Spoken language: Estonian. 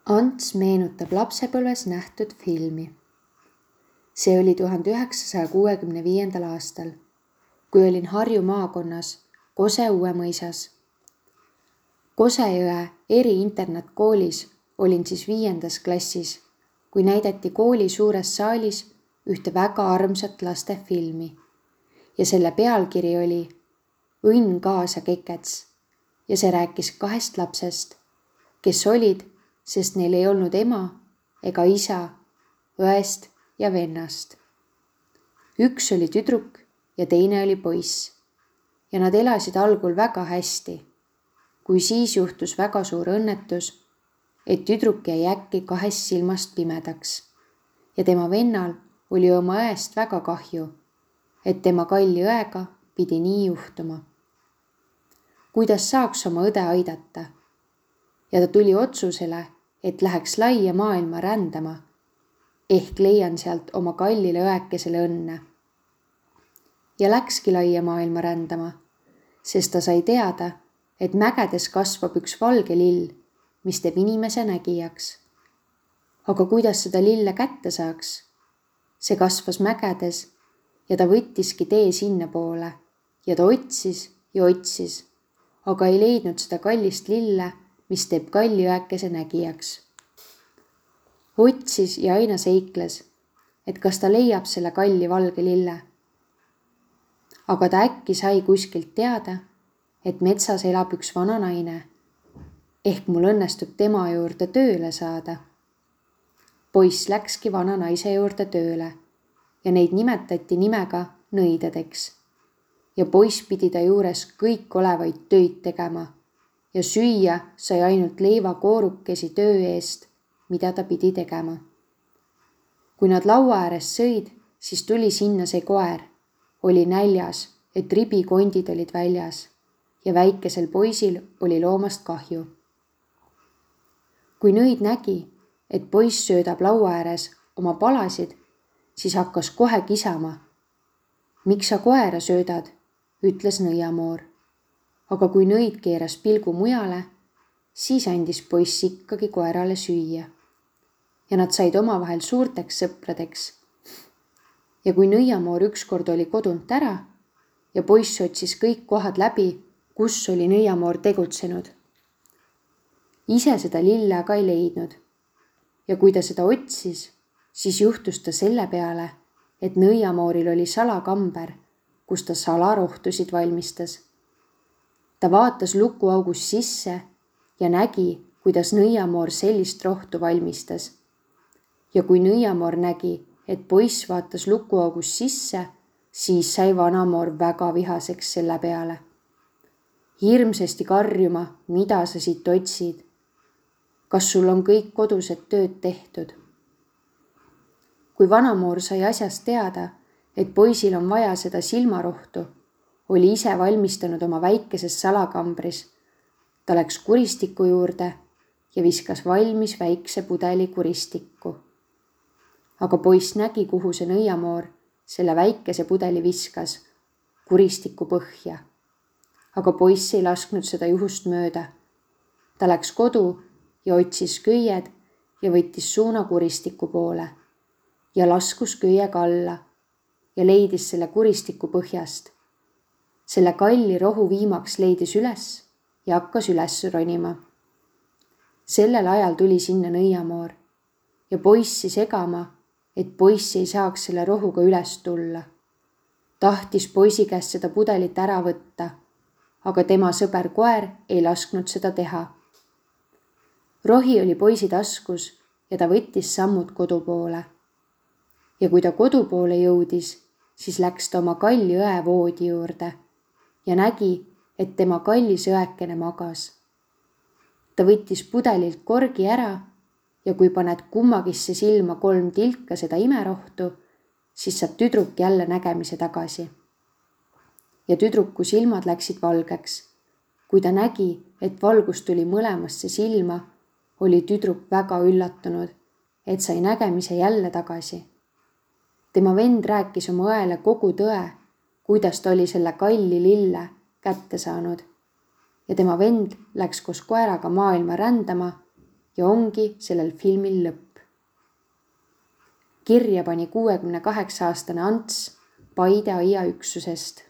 Ants meenutab lapsepõlves nähtud filmi. See oli 1965. aastal, kui olin Harju maakonnas Kose Uuemõisas. Kosejõe eriinternatkoolis olin siis 5. klassis, kui näidati kooli suures saalis ühte väga armsat lastefilmi ja selle pealkiri oli Õnn kaasa kekets ja see rääkis 2 lapsest, kes olid, sest neil ei olnud ema ega isa, õest ja vennast. Üks oli tüdruk ja teine oli poiss ja nad elasid algul väga hästi, kui siis juhtus väga suur õnnetus, et tüdruk jäi äkki 2 silmast pimedaks ja tema vennal oli oma õest väga kahju, et tema kalli õega pidi nii juhtuma. Kuidas saaks oma õde aidata? Ja ta tuli otsusele, et läheks laia maailma rändama, ehk leian sealt oma kallile õekesele õnne. Ja läkski laia maailma rändama, sest ta sai teada, et mägedes kasvab üks valge lill, mis teeb inimese nägijaks. Aga kuidas seda lille kätte saaks? See kasvas mägedes ja ta võttiski tee sinna poole ja ta otsis ja otsis, aga ei leidnud seda kallist lille, mis teeb kalli õekese nägijaks. Otsis ja aina seikles, et kas ta leiab selle kalli valge lille. Aga ta äkki sai kuskilt teada, et metsas elab üks vana naine, ehk mul õnnestub tema juurde tööle saada. Poiss läkski vana naise juurde tööle ja neid nimetati nimega nõidadeks ja poiss pidi ta juures kõik olevaid töid tegema ja süüa sai ainult leivakoorukesi töö eest, mida ta pidi tegema. Kui nad laua ääres sõid, siis tuli sinna see koer, oli näljas, et ribikondid olid väljas ja väikesel poisil oli loomast kahju. Kui nõid nägi, et poiss söödab laua ääres oma palasid, siis hakkas kohe kisama. Miks sa koera söödad, ütles nõiamoor. Aga kui nõid keeras pilgu mujale, siis andis poiss ikkagi koerale süüa. Ja nad said omavahel suurteks sõpradeks. Ja kui nõiamoor ükskord oli kodunt ära ja poiss otsis kõik kohad läbi, kus oli nõiamoor tegutsenud. Ise seda lille aga ei leidnud. Ja kui ta seda otsis, siis juhtus ta selle peale, et nõiamooril oli salakamber, kus ta salarohtusid valmistas. Ta vaatas lukuaugust sisse ja nägi, kuidas nõiamoor sellist rohtu valmistas. Ja kui nõiamoor nägi, et poiss vaatas lukuaugust sisse, siis sai vanamoor väga vihaseks selle peale. Hirmsasti karjuma, mida sa siit otsid? Kas sul on kõik kodused tööd tehtud? Kui vanamoor sai asjast teada, et poisil on vaja seda silmarohtu, oli ise valmistanud oma väikeses salakambris. Ta läks kuristiku juurde ja viskas valmis väikse pudeli kuristikku. Aga poiss nägi, kuhu see nõiamoor selle väikese pudeli viskas, kuristiku põhja. Aga poiss ei lasknud seda juhust mööda. Ta läks kodu ja otsis köied ja võttis suuna kuristiku poole ja laskus köiega alla ja leidis selle kuristiku põhjast. Selle kalli rohu viimaks leidis üles ja hakkas üles ronima. Sellel ajal tuli sinna nõiamoor ja poissi segama, et poiss ei saaks selle rohuga üles tulla. Tahtis poisi käest seda pudelit ära võtta, aga tema sõber koer ei lasknud seda teha. Rohi oli poisi taskus ja ta võttis sammud kodu poole. Ja kui ta kodu poole jõudis, siis läks ta oma kalli õe voodi juurde ja nägi, et tema kallis õekene magas. Ta võttis pudelilt korgi ära ja kui paned kummagisse silma 3 tilka seda imerohtu, siis saab tüdruk jälle nägemise tagasi. Ja tüdruku silmad läksid valgeks. Kui ta nägi, et valgus tuli mõlemasse silma, oli tüdruk väga üllatunud, et sai nägemise jälle tagasi. Tema vend rääkis oma õele kogu tõe, kuidas ta oli selle kalli lille kätte saanud. Ja tema vend läks koos koeraga maailma rändama ja ongi sellel filmil lõpp. Kirja pani 68-aastane Ants Paide aiaüksusest.